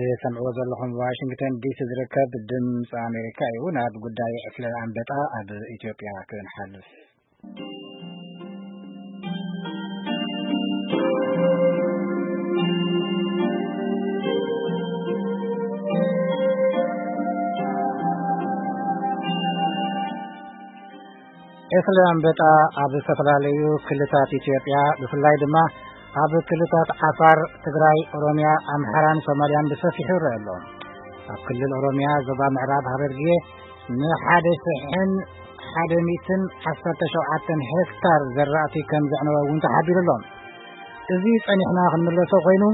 ትሰምዕዎ ዘለኹም ዋሽንግተን ዲሲ ዝርከብ ድምፂ ኣሜሪካ እዩ። ናብ ጉዳይ ዕስለ ኣንበጣ ኣብ ኢትዮጵያ ክንሓልፍ። ዕስለ ኣንበጣ ኣብ ዝተፈላለዩ ክልታት ኢትዮጵያ፣ ብፍላይ ድማ ኣብ ክልታት ዓፋር፣ ትግራይ፣ ኦሮሚያ፣ ኣምሓራን ሶማልያን ብሰፊሑ ይረአ ኣሎ። ኣብ ክልል ኦሮሚያ ዞባ ምዕራብ ሃረርጌ ንሓደ ሽሕን ሓደ ሚእትን ዓሰርተ ሸውዓተን ሄክታር ዘራእቲ ከም ዘዕነወ እውን ተሓቢሩ ኣሎ። እዚ ጸኒሕና ክንምለሶ ኮይኑ፣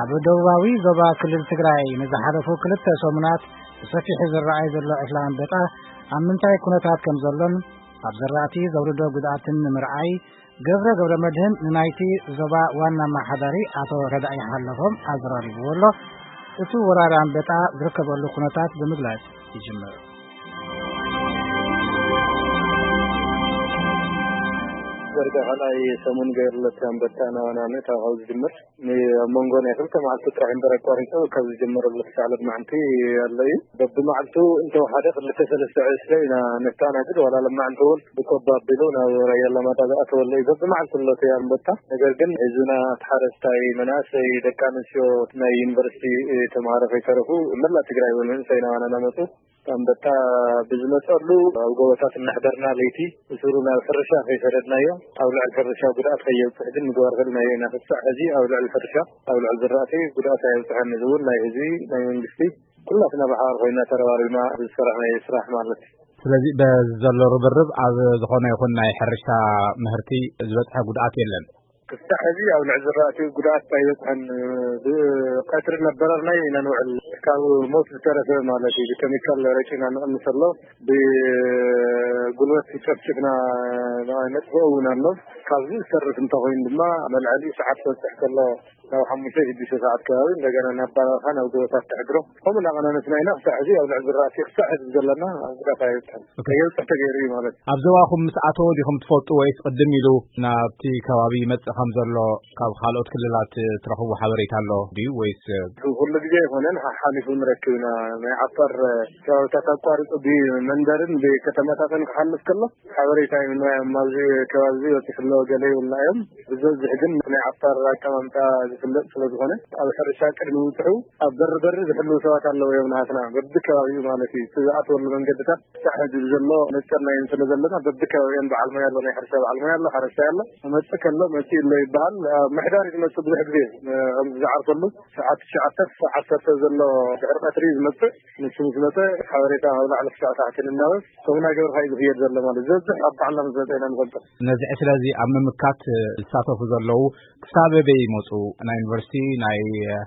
ኣብ ደቡባዊ ዞባ ክልል ትግራይ ንዝሓለፉ ክልተ ሰሙናት ብሰፊሑ ዝረኣይ ዘሎ ዕስለ ኣንበጣ ኣብ ምንታይ ኩነታት ከም ዘሎን ኣብ ዘራእቲ ዘውርዶ ጉድኣትን ንምርኣይ፣ ገብረ ገብረ መድህን ንናይቲ ዞባ ዋና ኣመሓዳሪ ኣቶ ረዳኢ ሓለፎም ኣዘራሪብዎ ኣሎ። እቲ ወራሪ ኣንበጣ ዝርከበሉ ኩነታት ብምግላጽ ይጅምር። ወርቂ ካልኣይ ሰሙን ገይሩለት ኣንበጣ ናባና መእታ ካብ ዝጅምር፣ ን-፣ ኣብ መንጎ ናይ ክልተ መዓልቲ ጥራሕ እምበር ኣቋሪጹ፣ ካብ ዝጀመረሉ ክሳዕ ሎድማዕንቲ ኣሎ እዩ። በብመዓልቱ እንተወሓደ ክልተ ሰለስተ ዕስለ ኢና ነስተኣናግድ፣ ዋላ ሎማዕንቲ እውን ብቆባ ኣቢሉ ናብ ራያ ኣላማጣ ዝኣተወሉ እዩ። በብመዓልቱ ኣሎ እቲ ኣንበጣ። ነገር ግን ህዝብና፣ እቲ ሓረስታይ፣ መናእሰይ፣ ደቂ ኣንስትዮ፣ ናይ ዩኒቨርሲቲ ተምሃሮ ከይተረፉ መላእ ትግራይ እውን መንእሰይ ናባና እናመፁ ኣንበጣ ብዝመፀሉ ኣብ ጎቦታት እናሕደርና ለይቲ ብስሩ ናብ ሕርሻ ከይሰደድናዮ ኣብ ልዕሊ ሕርሻ ጉድኣት ከየብፅሕ ግን ምግባር ክእልናዮ ኢና። ክሳዕ ሕዚ ኣብ ልዕሊ ሕርሻ፣ ኣብ ልዕሊ ዝራእቲ ጉድኣት ኣየብፅሐን። እዚ እውን ናይ ህዝቢ፣ ናይ መንግስቲ፣ ኩላትና ብሓባር ኮይና ተረባሪብና ዝሰራሕናዮ ስራሕ ማለት እዩ። ስለዚ በዚ ዘሎ ርብርብ ኣብ ዝኾነ ይኹን ናይ ሕርሻ ምህርቲ ዝበፅሐ ጉድኣት የለን። ክሳዕ ሕዚ ኣብ ልዕሊ ዝራእቲ ጉድኣት ኣይበፅሐን። ብቀትሪ እናበረርናዮ ኢና ንውዕል። ካብ ሞት ዝተረፈ ማለት እዩ። ብኬሚካል ረጭና ንቕንስ ኣሎ። ብጉልበት ጨፍጭፍና ነጥፍኦ እውን ኣሎ። ካብዚ ዝተርፍ እንተኮይኑ ድማ መልዐሊ ሰዓት ክበፅሕ ከሎ ናብ ሓሙሽተ ሽዱሽተ ሰዓት ከባቢ እንደገና ናብ በረኻ ናብ ጎቦታት ተሕድሮ። ከምኡ እናቐናነስና ኢና ክሳዕ ሕዚ ኣብ ልዕሊ ዝራእቲ ክሳዕ ሕዚ ዘለና ኣብ ጉዳት ኣይበፅሐን። ከየብፅሕ ተገይሩ እዩ ማለት እዩ። ኣብ ዞባኹም ምስ ኣተወ ዲኹም ትፈልጡ ወይስ ቅድም ኢሉ ናብቲ ከባቢ ይመጽእ ከም ዘሎ ካብ ካልኦት ክልላት ትረኽቡ ሓበሬታ ኣሎ ድዩ ወይስ? ኩሉ ግዜ ኣይኮነን፣ ሓሓሊፉ ንረክብ ኢና። ናይ ዓፋር ከባብታት ኣቋሪጹ ብመንደርን ብከተማታትን ክሓልፍ ከሎ ሓበሬታ ይህብና እዮም። ኣብዚ ከባቢ እዚ በጺሑ ኣሎ፣ ገለ ይብሉና እዮም። ብዝበዝሕ ግን ናይ ዓፋር ኣቀማምጣ ዝፍለጥ ስለ ዝኾነ፣ ኣብ ሕርሻ ቅድሚ ምብጽሑ ኣብ በሪ በሪ ዝሕልዉ ሰባት ኣለዉ እዮም፣ ናሃትና በብከባቢኡ ማለት እዩ። እቲ ዝኣትወሉ መንገድታት ክሳዕ ሕዚ ዘሎ መጸናዮም ስለ ዘለና፣ በብከባቢኦም በዓል ሞያ ኣሎ፣ ናይ ሕርሻ በዓል ሞያ ኣሎ፣ ሓረስታይ ኣሎ። መጽእ ከሎ መጽእ ኣሎ ይበሃል። ኣብ ምሕዳር እዩ ዝመጽእ ብዙሕ ግዜ፣ እ፣ ከምዚ ዝዓርፈሉ ሰዓት ትሽዓተ ክሳዕ ዓሰርተ ዘሎ ድሕሪ ቀትሪ እዩ ዝመጽእ። ንሱ ምስ መጸ ሓበሬታ ካብ ላዕሊ ክሳዕ ታሕቲ ንናበብ ከምኡ እናገበርካ እዩ ዝኽየድ ዘሎ ማለት እዩ። ዝበዝሕ ኣብ ባዕልና ምስ መጸ ኢና ንፈልጦ። ነዚ ዕስለ እዚ ኣብ ምምካት ዝሳተፉ ዘለዉ ክሳብ ኣበይ ይመጹ? ናይ ዩኒቨርሲቲ፣ ናይ፣ እ፣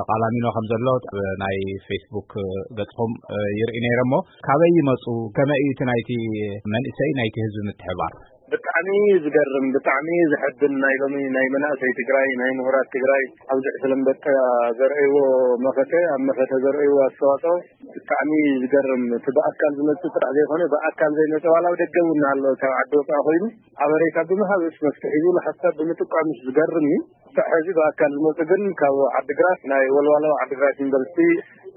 ቃላሚኖ ከም ዘሎ ኣብ ናይ ፌስቡክ ገጽኹም፣ እ፣ ይርኢ ነይረ እሞ፣ ካበይ ይመጹ? ከመይ እዩ እቲ ናይቲ መንእሰይ፣ ናይቲ ህዝቢ ምትሕባር? ብጣዕሚ እዩ ዝገርም፣ ብጣዕሚ እዩ ዘሐብን። ናይ ሎሚ ናይ መናእሰይ ትግራይ፣ ናይ ምሁራት ትግራይ ኣብዚ ዕስለ ኣንበጣ ዘርእይዎ መኸተ፣ ኣብ መኸተ ዘርእይዎ ኣስተዋፅኦ ብጣዕሚ እዩ ዝገርም። እቲ ብኣካል ዝመጽእ ጥራሕ ዘይኮነ፣ ብኣካል ዘይመጸ ዋላ ኣብ ደገ እውን ኣሎ፣ ካብ ዓዲ ወፃኢ ኮይኑ ሓበሬታ ብምሃብስ መፍትሒ ዝብል ሓሳብ ብምጥቋምስ ዝገርም እዩ። ክሳዕ ሕዚ ብኣካል ዝመጹ ግን ካብ ዓዲግራት፣ ናይ ወልዋሎ ዓዲግራት ዩኒቨርሲቲ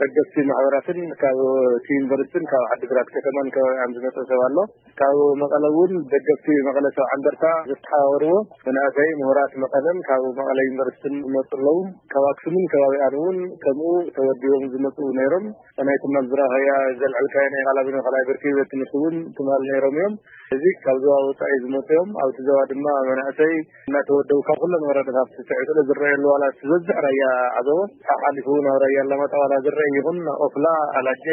ደገፍቲ ማሕበራትን ካብ እቲ ዩኒቨርሲቲን ካብ ዓዲግራት ከተማን ከባቢኣን ዝመጸ ሰብ ኣሎ። ካብ መቐለ እውን ደገፍቲ መቐለ ሰብዓ እንደርታ ዝተሓባበርዎ መናእሰይ ምሁራት መቐለን ካብ መቐለ ዩኒቨርሲቲን ዝመጹ ኣለዉ። ካብ ኣክሱምን ከባቢኣን እውን ከምኡ ተወዲቦም ዝመጹ ነይሮም። ናይ ትማል ዝረኸያ ዘልዐልካዮ ናይ ቃላሚኖ ካልኣይ ብርኪ ቤት ትምህርቲ እውን ትማል ነይሮም እዮም። እዚ ካብ ዞባ ወጻኢ ዝመጹ እዮም። ኣብቲ ዞባ ድማ መናእሰይ እናተወደቡ ካብ ኩለን ወረዳታት ስዕስዒት ስለ ዝረኣየሉ ዋላ እቲ ዝበዝሕ ራያ ዓዘቦ ሓሓሊፉ ናብ ራያ ኣላማጣ ዋላ ዝረኣይ ይኹን ኦፍላ፣ ኣላጀ፣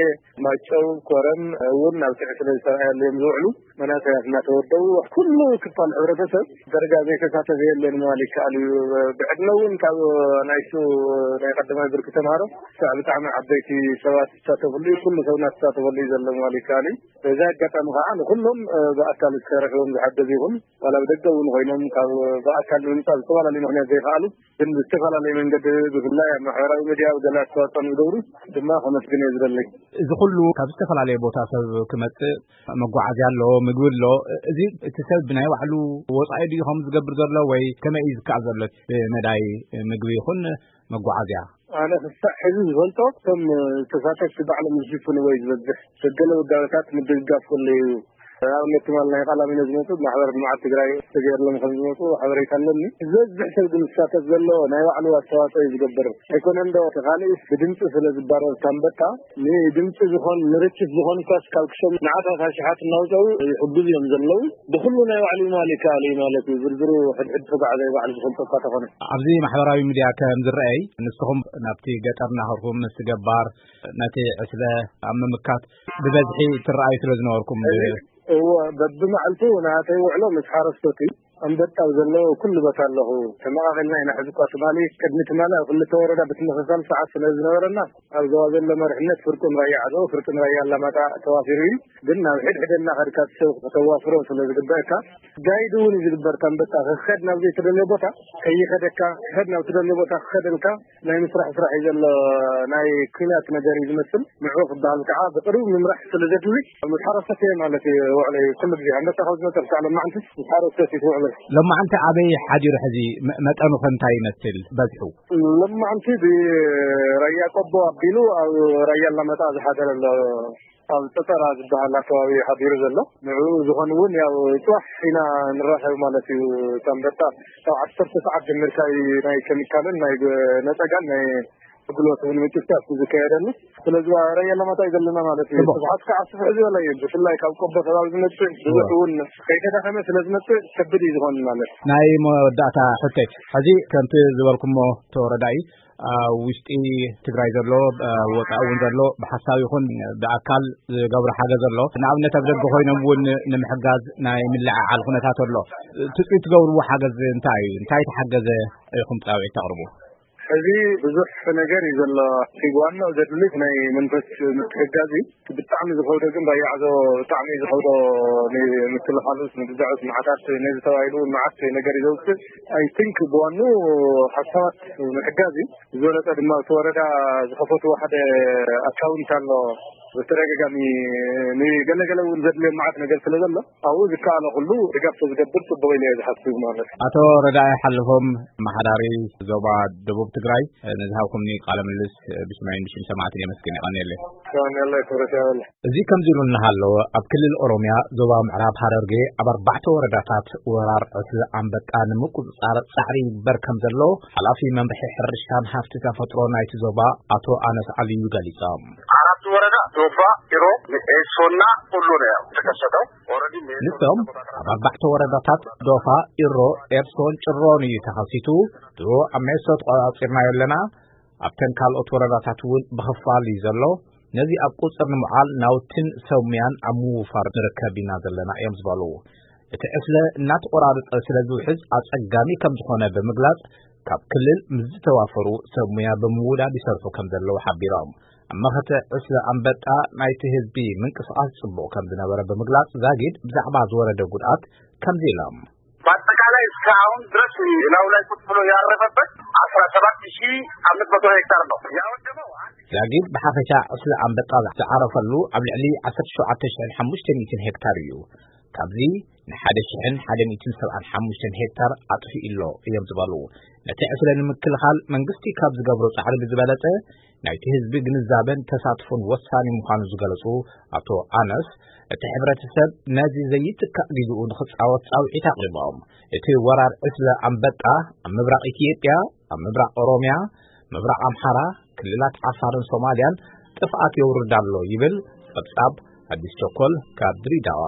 ማጨው፣ ኮረም እውን ኣብ ስዕስዒት ስለ ዝተረኣየሉ እዮም ዝውዕሉ። መናእሰያት እናተወደቡ ኩሉ ክፋል ሕብረተሰብ ደረጃ ዘይተሳተፈ የለን ምባል ይከኣል እዩ። ብዕድመ እውን ካብ ናይሱ ናይ ቀዳማይ ብርኪ ተምሃሮ ክሳዕ ብጣዕሚ ዓበይቲ ሰባት ዝሳተፍሉ እዩ። ኩሉ ሰብ እናተሳተፈሉ እዩ ዘሎ ምባል ይከኣል እዩ። በዚ ኣጋጣሚ ከዓ ንኩሎም፣ እ፣ ብኣካል ዝተረኽቦም ዝሓገዙ ይኹን ዋላ ብደገ እውን ኮይኖም ካብ ብኣካል ንምምፃእ ዝተፈላለዩ ምኽንያት ዘይከኣሉ ግን ብዝተፈላለየ መንገዲ ብፍላይ ኣብ ማሕበራዊ ሚድያ ኣብ ገለ ኣስተዋፅኦ ንዝገብሩ ድማ ከመስግን እየ ዝደሊ። እዚ ኩሉ ካብ ዝተፈላለየ ቦታ ሰብ ክመፅእ መጓዓዝያ ኣሎ፣ ምግቢ ኣሎ። እዚ እቲ ሰብ ብናይ ባዕሉ ወፃኢ ድዩ ከም ዝገብር ዘሎ ወይ ከመይ እዩ ዝከኣል ዘሎ? ብመዳይ ምግቢ ይኹን መጓዓዝያ። ኣነ ክሳዕ ሕዚ ዝፈልጦ፣ እቶም ተሳተፍቲ ባዕሎም ዝሽፍንዎ እዩ ዝበዝሕ። ገለ ውዳበታት ምድግጋፍ ከሎ እዩ። ኣብነት ትማል ናይ ቃላሚኖ ዝመጹ ማሕበር ልምዓት ትግራይ ተገይርሎም ከም ዝመጹ ሓበሬታ ኣለኒ። ዝበዝሕ ሰብ ግን ዝሳተፍ ዘሎ ናይ ባዕሉ ኣስተዋጽኦ እዩ ዝገብር። ኣይኮነን ዶ እቲ ካልእ ብድምፂ ስለ ዝባረር ታንበጣ ንድምፂ ዝኾን ንርችት ዝኾን እኳስ ካብ ክሰም ንዓታት ኣሽሓት እናውፀኡ ይሕግዙ እዮም ዘለዉ። ብኩሉ ናይ ባዕሉ ይማል ይከኣል እዩ ማለት እዩ። ዝርዝሩ ሕድሕድ ተጓዓዛይ ባዕሉ ዝፈልጦ እኳ ተኾነ። ኣብዚ ማሕበራዊ ሚድያ ከም ዝረኣይ፣ ንስኹም ናብቲ ገጠር እናኸድኩም ምስቲ ገባር ነቲ ዕስለ ኣብ ምምካት ብበዝሒ ትረኣዩ ስለ ዝነበርኩም። እዎ፣ በብመዓልቱ ናተይ ውዕሎ ምስ ሓረስቶት እዩ። ኣንበጣ ኣብ ዘለዎ ኩሉ ቦታ ኣለኹ። ተመቓቒልና ኢና። ሕዚ እኳ ትማሊ፣ ቅድሚ ትማሊ ኣብ ክልተ ወረዳ ብትምኽኻል ሰዓት ስለ ዝነበረና፣ ኣብ ዞባ ዘሎ መሪሕነት ፍርቂ ንራያ ዓዘቦ፣ ፍርቂ ንራያ ኣላማጣ ተዋፊሩ እዩ። ግን ናብ ሕድሕደ እናኸድካ እቲ ሰብ ከተዋፍሮ ስለ ዝግበአካ፣ ጋይድ እውን እዩ ዝግበር። ኣንበጣ ክኸድ ናብ ዘይትደልዮ ቦታ ከይኸደካ፣ ክኸድ ናብ ትደልዮ ቦታ ክኸደልካ፣ ናይ ምስራሕ ስራሕ እዩ ዘሎ። ናይ ኲናት ነገር እዩ ዝመስል። ንዕኡ ክበሃል ከዓ ብቕርብ ምምራሕ ስለ ዘድሊ፣ ምስ ሓረስቶት እየ ማለት እዩ ውዕለይ። ኩሉ ግዜ ኣንበጣ ካብ ዝመፀ ክሳዕ ሎማዓንቲ ምስ ሓረስቶት እዩ ውዕለይ። ሎማዓንቲ ኣበይ ሓዲሩ ሕዚ? መ-፣ መጠኑ ከ እንታይ ይመስል? በዝሑ? ሎማዓንቲ ብራያ ቆቦ ኣቢሉ ኣብ ራያ ኣላማጣ ዝሓደረ ኣሎ። ኣብ ፀፀራ ዝበሃል ኣከባቢ ሓዲሩ ዘሎ። ንዕኡ ዝኾን እውን ያው ፅባሕ ኢና ንራኸብ ማለት እዩ። ኣንበጣ ካብ ዓሰርተ ሰዓት ጀሚርካ እዩ ናይ ኬሚካልን ናይ ነፀጋን ናይ ኣገልግሎት እውን ምጭፍጫፍ እዩ ዝካየደሉ። ስለዚ ራያ ኣላማጣ እዩ ዘለና ማለት እዩ። ጽቡቕ። ስብሓት ከዓ ስፍሕ ዝበለ እዩ። ብፍላይ ካብ ቆቦ ከባቢ ዝመፅእ ብዙሕ እውን ከይተዳኸመ ስለ ዝመፅእ ከቢድ እዩ ዝኾን ማለት። ናይ መወዳእታ ሕቶይ፣ ሕዚ ከምቲ ዝበልኩሞ ተወረዳኢ ኣብ ውሽጢ ትግራይ ዘሎ፣ ኣብ ወፃኢ እውን ዘሎ ብሓሳብ ይኹን ብኣካል ዝገብሮ ሓገዝ ኣሎ። ንኣብነት ኣብ ደገ ኮይኖም እውን ንምሕጋዝ ናይ ምልዕዓል ኩነታት ኣሎ። ትፅቢት ትገብርዎ ሓገዝ እንታይ እዩ? እንታይ ተሓገዘ ኢኹም ፃውዒት ተቕርቡ? ሕዚ ብዙሕ ነገር እዩ ዘሎ። እቲ ዋናው ዘድሊ ናይ መንፈስ ምትሕጋዝ እዩ። ብጣዕሚ ዝኸብዶ ግን ራያ ዓዘቦ ብጣዕሚ እዩ ዝኸብዶ። ንምክልኻሉስ፣ ንግዛዑስ፣ መዓታት ነዚ ተባሂሉ እውን መዓት ነገር እዩ ዘውፅእ። ኣይ ቲንክ ብዋኑ ሓሳባት ምሕጋዝ እዩ። ዝበለጸ ድማ እቲ ወረዳ ዝኸፈትዎ ሓደ ኣካውንት ኣሎ። ብተደጋጋሚ ንገለገለ እውን ዘድልዮም መዓት ነገር ስለ ዘሎ፣ ኣብኡ ዝከኣለ ኩሉ ድጋፍ ተዝገብር ጽቡቕ ኢለ እየ ዝሓስብ ማለት እዩ። ኣቶ ረዳኢ ሓለፎም፣ ኣመሓዳሪ ዞባ ደቡብ ትግራይ፣ ንዝሃብኩምኒ ቃለ ምልልስ ብሽመይን ብሽም ሰማዕትን የመስግን። የቐንየለይ። የቐንየለይ ክብረት ይሃበለይ። እዚ ከምዚ ኢሉ እናሃለወ፣ ኣብ ክልል ኦሮምያ ዞባ ምዕራብ ሃረርጌ ኣብ ኣርባዕተ ወረዳታት ወራር ዕስለ ኣንበጣ ንምቁጽጻር ጻዕሪ ይግበር ከም ዘሎ ሓላፊ መምርሒ ሕርሻን ሃፍቲ ተፈጥሮ ናይቲ ዞባ ኣቶ ኣነስ ዓልዩ ገሊጾም። አራቱ ወረዳ ዶፋ፣ ኢሮ፣ ኤሶና ሁሉ ነው ያው የተከሰተው። ኦልሬዲ ሜሶ ንሶም ተቆጣጥራ ኣብ ኣርባዕተ ወረዳታት ዶፋ፣ ኢሮ፣ ኤርሶን ጭሮን እዩ ተኸሲቱ። ድሮ ኣብ ሜሶ ተቆጻጺርናዮ ኣለና። ኣብተን ካልኦት ወረዳታት እውን ብኽፋል እዩ ዘሎ። ነዚ ኣብ ቁጽር ንምውዓል ናውትን ሰብ ሙያን ኣብ ምውፋር ንርከብ ኢና ዘለና እዮም ዝበሉ። እቲ ዕስለ እናተቆራረጸ ስለ ዝውሕዝ ኣጸጋሚ ከም ዝኾነ ብምግላጽ፣ ካብ ክልል ምስ ዝተዋፈሩ ሰብ ሙያ ብምውዳድ ይሰርሑ ከም ዘለዉ ሓቢሮም። ኣብ መኸተ ዕስለ ኣንበጣ ናይቲ ህዝቢ ምንቅስቓስ ጽቡቕ ከም ዝነበረ ብምግላጽ፣ ዛጊድ ብዛዕባ ዝወረደ ጉድኣት ከምዚ ኢሎም። በአጠቃላይ እስካሁን ድረስ ላዩ ላይ ቁጭ ብሎ ያረፈበት አስራ ሰባት ሺህ አምስት መቶ ሄክታር ነው ያወደመው። ዛጊድ ብሓፈሻ ዕስለ ኣንበጣ ዝዓረፈሉ ኣብ ልዕሊ ዓሰርተ ሸውዓተ ሽሕን ሓሙሽተ ሚእትን ሄክታር እዩ። ካብዚ ንሓደ ሽሕን ሓደ ሚእትን ሰብዓን ሓሙሽተን ሄክታር ኣጥፊኡ ኣሎ እዮም ዝበሉ። ነቲ ዕስለ ንምክልኻል መንግስቲ ካብ ዝገብሮ ጻዕሪ ብዝበለጸ ናይቲ ህዝቢ ግንዛበን ተሳትፎን ወሳኒ ምዃኑ ዝገለጹ ኣቶ ኣነስ፣ እቲ ሕብረተሰብ ነዚ ዘይትካእ ግዜኡ ንኽጻወት ጻውዒት ኣቕሪቦም። እቲ ወራር ዕስለ ኣንበጣ ኣብ ምብራቕ ኢትዮጵያ፣ ኣብ ምብራቕ ኦሮምያ፣ ምብራቕ ኣምሓራ፣ ክልላት ዓፋርን ሶማልያን ጥፍኣት የውርድ ኣሎ ይብል ጸብጻብ ኣዲስ ቸኮል ካብ ድሬዳዋ።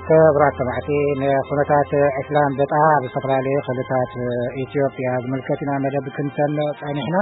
ክቡራት ሰማዕቲ፣ ንኩነታት ዕስለ ኣንበጣ ኣብ ዝተፈላለዩ ክልላት ኢትዮጵያ ዝምልከት ኢና መደብ ክንሰምዕ ጸኒሕና።